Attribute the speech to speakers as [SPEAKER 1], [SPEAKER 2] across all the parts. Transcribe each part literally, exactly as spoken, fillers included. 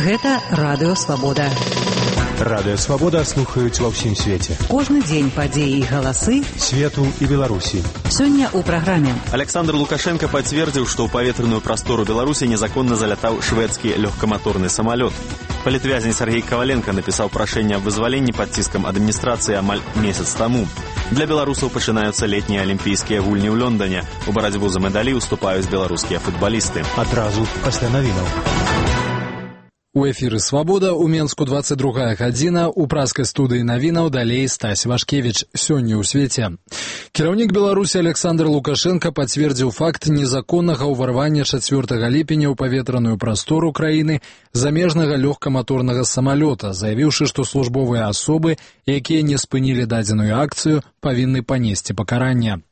[SPEAKER 1] Гэта Радыё Свабода.
[SPEAKER 2] Радыё Свабода слухаюць ва ўсім свеце.
[SPEAKER 1] Кожны дзень падзеі і галасы
[SPEAKER 2] свету і Беларусі.
[SPEAKER 1] Сёння ў праграме.
[SPEAKER 3] Александр Лукашенко пацвердзіў, што ў паветраную прастору Беларусі незаконна залятаў шведскі лёгкаматорны самалёт. Палітвязень Сергей Коваленко напісаў прашэнне аб вызваленні пад ціскам адміністрацыі амаль месяц таму. Для беларусаў пачынаюцца летнія алімпійскія гульні ў Лондоне. У барацьбу за медалі ўступаюць беларускія футбалісты.
[SPEAKER 2] Адразу пасля навінаў.
[SPEAKER 4] У эфіры «Свабода» у Менску двадцать другая гадзіна, у праскай студыі навінаў далей Стась Вашкевіч. Сёння ў свеце. Кіраўнік Беларусі Александр Лукашенко пацвердзіў факт незаконнага ўварвання чацвёртага ліпеня ў паветраную прастору краіны замежнага лёгкаматорнага самалёта, заявіўшы, што службовыя асобы, якія не спынілі дадзеную акцыю, павінны панесці пакаранне.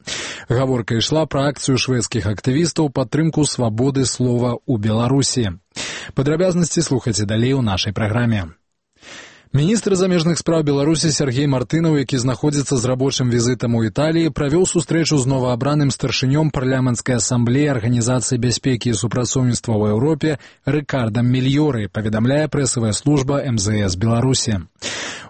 [SPEAKER 4] Гаворка ішла пра акцыю шведскіх актывістаў падтрымку свабоды слова ў Беларусі. Падрабязнасці слухайце далей у нашай праграме. Міністр замежных спраў Беларусі Сергей Мартынаў, які знаходзіцца з рабочым візітам у Італіі, правёў сустрэчу з новаабраным старшынём парламенцкай асамблеі Арганізацыі бяспекі і супрацоўніцтва ў Еўропе Рыкардам Мільёрай, паведамляе прэсавая служба эм зэ эс Беларусі.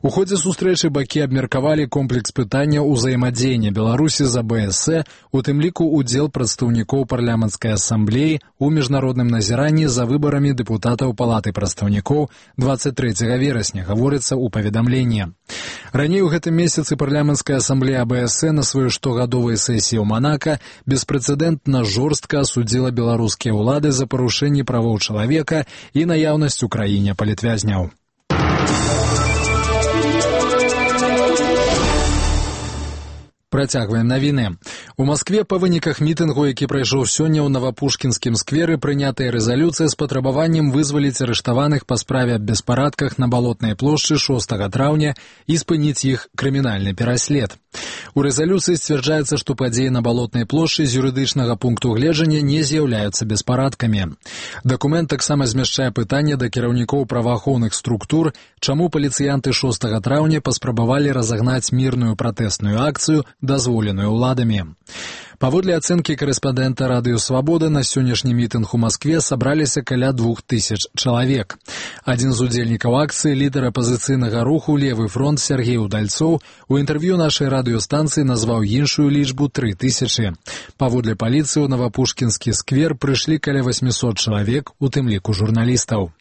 [SPEAKER 4] У ходзе сустрэчы бакі абмеркавалі комплекс пытання ўзаемадзеяння Беларусі з а бэ эс э, у тым ліку удзел прадстаўнікоў парламенцкай асамблеі у міжнародным назіранні за выбарамі дэпутатаў палаты прадстаўнікоў двадцать трэцяга верасня, гаворыцца ў паведамленні. Раней у гэтым месяцы парламенцкая асамблея а бэ эс э на сваёй штогадовай сесіі ў Манака беспрэцэдэнтна жорстка асудзіла беларускія ўлады за парушэнне правоў чалавека і наяўнасць у краіне палітвязняў. Працягваем навіны. У Маскве па выніках мітынгу, які прайшоў сёння ў Навапушкінскім скверы, прынятая рэзалюцыя з патрабаваннем вызваліць арыштаваных па справе аб беспарадках на Балотнай плошчы шостага траўня і спыніць іх крымінальны пераслед. У рэзалюцыі сцвярджаецца, што падзеі на Балотнай плошчы з юрыдычнага пункту гледжання не з'яўляюцца беспарадкамі. Дакумент таксама змяшчае пытанне да кіраўнікоў праваахоўных структур, чаму паліцыянты шостага траўня паспрабавалі разагнаць мірную пратэсную акцыю, дазволеную ўладамі. Паводле ацэнкі корэспандэнта Радыё Свабода, на сённяшні мітынг у Маскве сабраліся каля двух тысяч чалавек. Адзін з удзельнікаў акцыі, лідар апазіцыйнага руху «Левы фронт» Сергей Удальцоў, у інтэрв'ю нашай радыёстанцыі назваў іншую лічбу тры тысячы. Паводле паліцыі ў Навапушкінскі сквер прыйшлі каля восьмісот чалавек, у тым ліку журналістаў.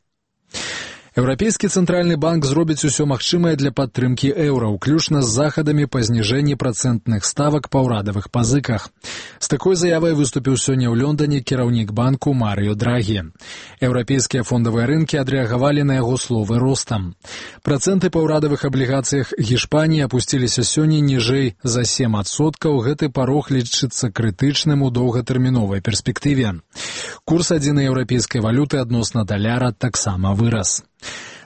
[SPEAKER 4] Еўрапейскі цэнтральны банк зробіць усё магчымае для падтрымкі еўра, уключна з захадамі па зніжэнні працэнтных ставак па ўрадавых пазыках. З такой заявай выступіў сёння ў Лондоне кіраўнік банку Марыё Драгі. Еўрапейскія фондавыя рынкі адрэагавалі на яго словы ростам. Працэнты па ўрадавых аблігацыях Гішпаніі апусціліся сёння ніжэй за сем адсоткаў, гэты парог лічыцца крытычным у доўгатэрміновай перспектыве. Курс адзінай еўрапейскай валюты адносна даляра таксама вырас.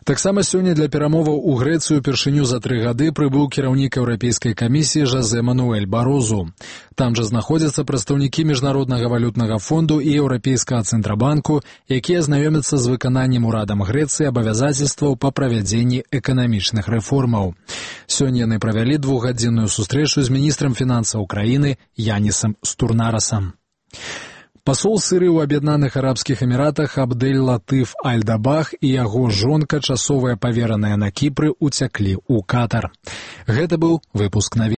[SPEAKER 4] Таксама сёння для перамоваў у Грэцыю упершыню за тры гады прыбыў кіраўнік Еўрапейскай камісіі Жозе Мануэль Барозу. Там жа знаходзяцца прадстаўнікі Міжнароднага валютнага фонду і Еўрапейскага цэнтрабанку, якія знаёмяцца з выкананнем урадам Грэцыі абавязацельстваў па правядзенні эканамічных рэформаў. Сёння яны правялі двухгадзінную сустрэчу з міністрам фінансаў краіны Янісам Стурнарасам. Пасол Сырыі ў Аб'яднаных Арабскіх Эміратах Абдэль-Латыф Аль-Дабах і яго жонка, часовая павераная на Кіпры, уцяклі ў Катар. Гэта быў выпуск навін.